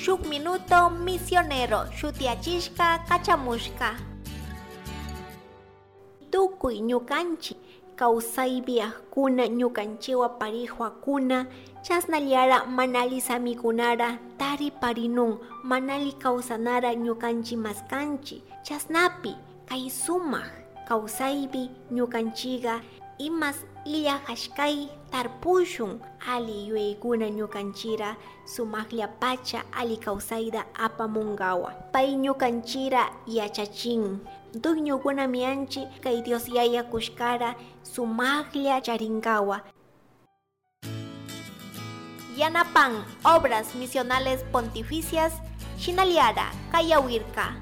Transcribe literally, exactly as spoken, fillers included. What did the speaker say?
Shuk Minuto Misionero shutiachishka kachamushka. Tukuy ñukanchik kawsaypiakuna ñukanchiwa parihuakuna chasnallara manali samikunara tariparinun manali kawsanara ñukanchik maskanchik chasnapi kay sumak kawsaypi ñukanchika imas illajashkay tarpushun ali yuyaykuna ñukanchira sumaklla pacha ali kawsayta apamunkawa pay ñukanchira yachachin dueñokuna mianchi kay Dios Yaya kushkara sumaklla charinkawa. Yanapan Obras Misionales Pontificias Shinaliara Kayawirka.